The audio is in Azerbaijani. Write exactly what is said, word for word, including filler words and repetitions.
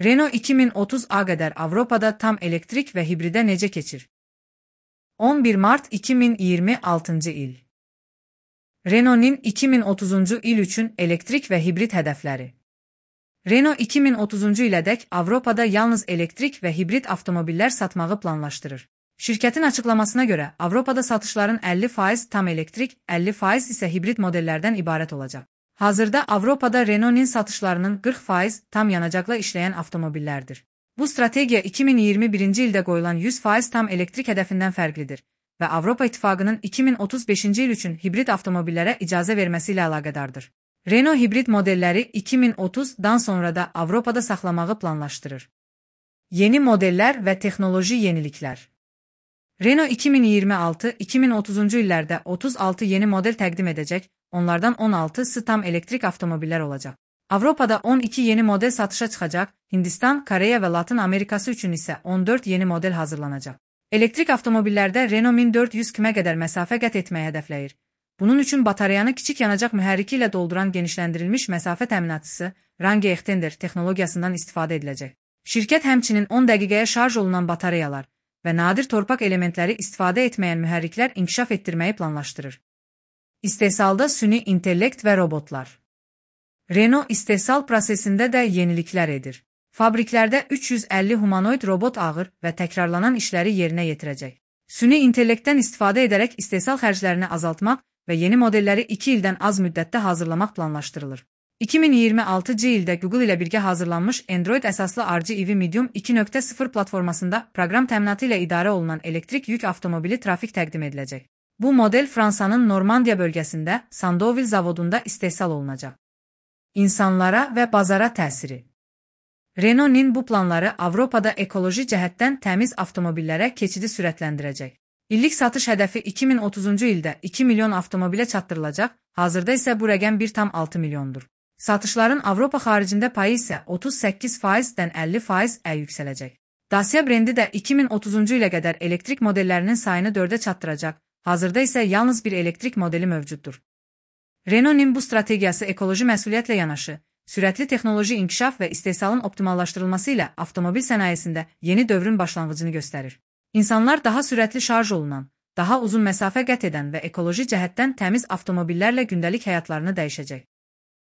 Renault iki min otuz'a qədər Avropada tam elektrik və hibridə necə keçir? on bir mart iki min iyirmi altıncı il. Renault'nin iki min otuzuncu il üçün elektrik və hibrid hədəfləri. Renault iki min otuzuncu ilədək Avropada yalnız elektrik və hibrid avtomobillər satmağı planlaşdırır. Şirkətin açıqlamasına görə, Avropada satışların əlli faiz tam elektrik, əlli faiz isə hibrid modellərdən ibarət olacaq. Hazırda Avropada Renault'nin satışlarının qırx faiz tam yanacaqla işləyən avtomobillərdir. Bu strategiya iki min iyirmi birinci ildə qoyulan yüz faiz tam elektrik hədəfindən fərqlidir və Avropa İttifaqının iki min otuz beşinci il üçün hibrid avtomobillərə icazə verməsi ilə əlaqədardır. Renault hibrid modelləri iki min otuzdan sonra da Avropada saxlamağı planlaşdırır. Yeni modellər və texnoloji yeniliklər. Renault iki min iyirmi altı iki min otuzuncu illərdə otuz altı yeni model təqdim edəcək, onlardan on altısı tam elektrik avtomobillər olacaq. Avropada on iki yeni model satışa çıxacaq, Hindistan, Koreya və Latın Amerikası üçün isə on dörd yeni model hazırlanacaq. Elektrik avtomobillərdə Renault min dörd yüz kilometrə qədər məsafə qət etməyi hədəfləyir. Bunun üçün batareyanı kiçik yanacaq mühərriki ilə dolduran genişləndirilmiş məsafə təminatçısı Range Extender texnologiyasından istifadə ediləcək. Şirkət həmçinin on dəqiqəyə şarj olunan batareyalar və nadir torpaq elementləri istifadə etməyən mühərriklər inkişaf etdirməyi planlaşdırır. İstehsalda süni intellekt və robotlar. Renault istehsal prosesində də yeniliklər edir. Fabriklərdə üç yüz əlli humanoid robot ağır və təkrarlanan işləri yerinə yetirəcək. Süni intellektdən istifadə edərək istehsal xərclərini azaltmaq və yeni modelləri iki ildən az müddətdə hazırlamaq planlaşdırılır. iki min iyirmi altıncı ildə Google ilə birgə hazırlanmış Android əsaslı R G E V Medium iki nöqtə sıfır platformasında proqram təminatı ilə idarə olunan elektrik yük avtomobili trafik təqdim ediləcək. Bu model Fransanın Normandiya bölgəsində Sandovil zavodunda istehsal olunacaq. İnsanlara və bazara təsiri. Renault'nin bu planları Avropada ekoloji cəhətdən təmiz avtomobillərə keçidi sürətləndirəcək. İllik satış hədəfi iki min otuzuncu ildə iki milyon avtomobilə çatdırılacaq, hazırda isə bu rəqəm bir tam altı milyondur. Satışların Avropa xaricində payı isə otuz səkkiz faizdən əlli faizə yüksələcək. Dacia brendi də iki min otuzuncu ilə qədər elektrik modellərinin sayını dördə çatdıracaq, hazırda isə yalnız bir elektrik modeli mövcuddur. Renault'nin bu strategiyası ekoloji məsuliyyətlə yanaşı, sürətli texnoloji inkişaf və istehsalın optimallaşdırılması ilə avtomobil sənayesində yeni dövrün başlanğıcını göstərir. İnsanlar daha sürətli şarj olunan, daha uzun məsafə qət edən və ekoloji cəhətdən təmiz avtomobillərlə gündəlik həyatlarını dəyişəcək.